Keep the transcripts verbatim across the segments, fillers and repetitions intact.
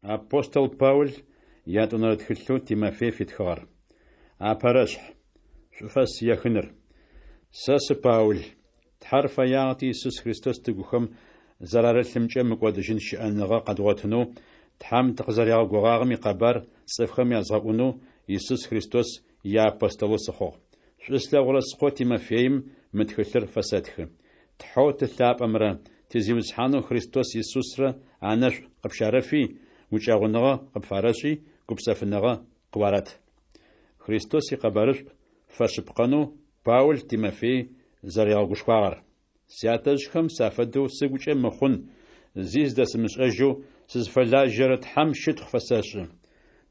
Апостол Паул ятӏонэрэ тхылъэу Тимофей фитхыгъэр. Апэрэшъхь. Шӏуфэс ехыныр. Сэ сы Паул. Тхьэр фэягъэти Исус Христос тыгухэм зэрарылъымкӏэ мыкӏодыжьын щыӏэныгъэ къэдгъотынэу Тхьэм тыкъызэригъэгугъагъэм икъэбар цӏыфхэм язгъэӏунэу Исус Христос иапостолэу сыхъугъ. Шӏу слъэгъурэ скъо Тимофеим мы тхылъыр фэсэтхы. Тхьэу Ты лъапӏэмрэ ти Зиусхьанэу Христос Исусрэ анэшӏу къыпщарэфи, гукӏэгъуныгъэ къыпфарэшӏи, гупсэфыныгъэ къыуарэт. Христос икъэбарышӏу фэшъыпкъэнэу Паул Тимофей зэригъэгушхуагъэр. Сятэжъхэм сафэдэу сыгукӏэ мыхъун зи зыдэсымышӏэжьэу сызфэлажьэрэ Тхьэм щытхъу фэсэшӏы.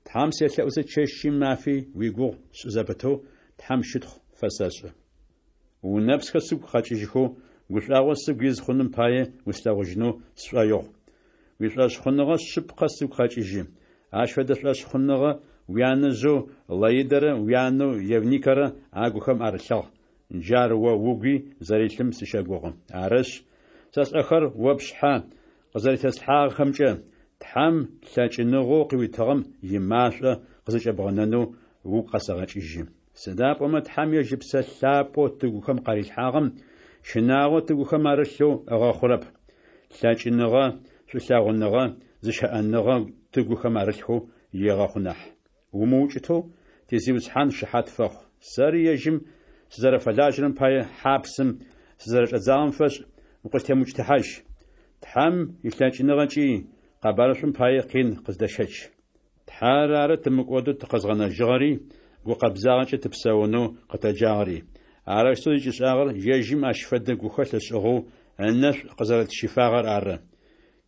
Тхьэм селъэӏузэ чэщи мафи уигугъу сшӏы зэпытэу Тхьэм щытхъу фэсэшӏы. Унэпсхэр сыгу къэкӏыжьхэу, гушӏуагъо сыгу из хъуным пае услъэгъужьынэу сшӏоигъу. Уишӏошъхъуныгъэ шъыпкъэ сыгу къэкӏыжьы. Ащ фэдэ шӏошъхъуныгъэ уянэжъэу Лоидэрэ уянэу Евникэрэ агухэм арылъыгъ, джар о угуи зэрилъым сыщэгугъы. Арышъ, сэ сӏэхэр о пшъхьэ къызэрэтеслъхьагъэхэмкӏэ, Тхьэм лъэкӏыныгъэу къыуитыгъэм имашӏо къызэкӏэбгъэнэнэу угу къэсэгъэкӏыжьы. Сыда пӏомэ Тхьэм ежь Ыпсэ Лъапӏэу тыгухэм къарилъхьагъэм щынагъо тыгухэм арылъэу ыгъэхъурэп, лъэкӏыныгъэ, шӏулъэгъуныгъэ, зыщыӏэныгъэ тыгухэм арылъхэу егъэхъу нахь. Умыукӏытэу ти Зиусхьан шыхьат фэхъу. Сэри ежьым сызэрэфэлажьэрэм пае хьапсым сызэрэчӏадзагъэм фэшӏ укъыстемыукӏытыхьажь. Тхьэм илъэкӏыныгъэкӏи къэбарышӏум пае къин къыздэщэч. Тхьэр ары тымыкӏодэу тыкъэзгъэнэжьыгъэри, гукъэбзагъэкӏэ тыпсэунэу къытэджагъэри. Арэущтэу зыкӏишӏагъэр ежьым ащ фэдэ гухэлъ ышӏыгъэу ынэшӏу къызэрэтщифагъэр ары.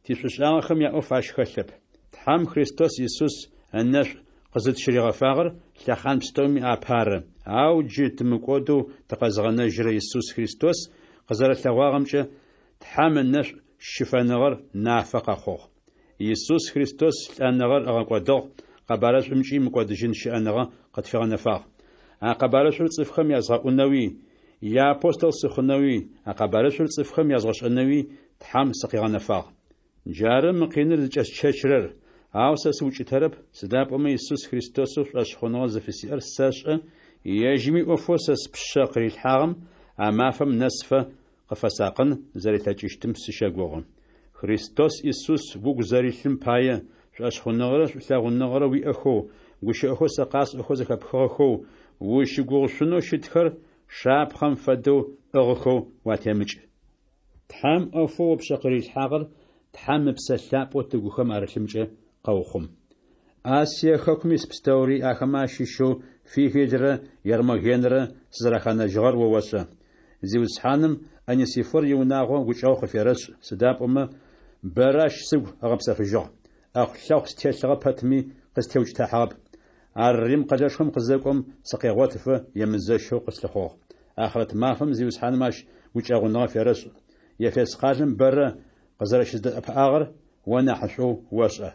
Тишӏушӏагъэхэм яӏоф ащ хэлъэп. Тхьэм Христос Исус ынэшӏу къызытщыригъэфагъэр лъэхъан пстэуми апэ ары, ау джы тымыкӏодэу тыкъэзыгъэнэжьырэ Исус Христос къызэрэлъэгъуагъэмкӏэ Тхьэм ынэшӏу щыфэныгъэр нафэ къэхъугъ. Исус Христос лӏэныгъэр ыгъэкӏодыгъ, къэбарышӏумкӏи мыкӏодыжьын щыӏэныгъэ къытфигъэнэфагъ. А къэбарышӏур цӏыфхэм язгъэӏунэуи, иапостол сыхъунэуи, а къэбарышӏур цӏыфхэм язгъэшӏэнэуи Тхьэм сыкъигъэнэфагъ. Джары мы къиныр зыкӏэсщэчырэр, ау сэ сыукӏытэрэп, сыда пӏомэ Исус Христосэу шӏошъхъуныгъэ зыфысиӏэр сэшӏэ, ежьыми ӏофэу сэ спшъэ къырилъхьагъэм а мафэм нэсыфэ къыфэсакъын зэрилъэкӏыщтым сыщэгугъы. Христос Исус угу зэрилъым пае, шӏошъхъуныгъэрэ шӏулъэгъуныгъэрэ уиӏэхэу, гущыӏэхэу сэ къасӏохэу зэхэпхыгъэхэу, узщыгугъышъунэу щытхэр шапхъэм фэдэу пӏыгъыхэу уатемыкӏ. Тхьэм ӏофэу о пшъэ къырилъхьагъэр Тхьэм Ыпсэ Лъапӏэу тыгухэм арылъымкӏэ къэухъум. Асие хэкум ис пстэури, ахэмэ ащыщэу Фигелрэ Гермогенрэ сызэраханэжьыгъэр о ошӏэ. Зиусхьаным Онесифор иунагъо гукӏэгъу къыферэшӏ, сыда пӏомэ бэрэ ащ сыгу ыгъэпсэфыжьыгъ. ӏэхъулъэхъу стелъыгъэ пэтми, къыстеукӏытыхьагъэп. Ар Рим къэлэшхом къызэкӏом, сыкъегъотыфэ емызэщэу къыслъыхъугъ. Ахърэт мафэм Зиусхьаным ащ гукӏэгъуныгъэ ферэшӏ. Ефес къалэм бэрэ къызэрэщыздэӏэпыӏагъэр о нахьышӏоу ошӏэ.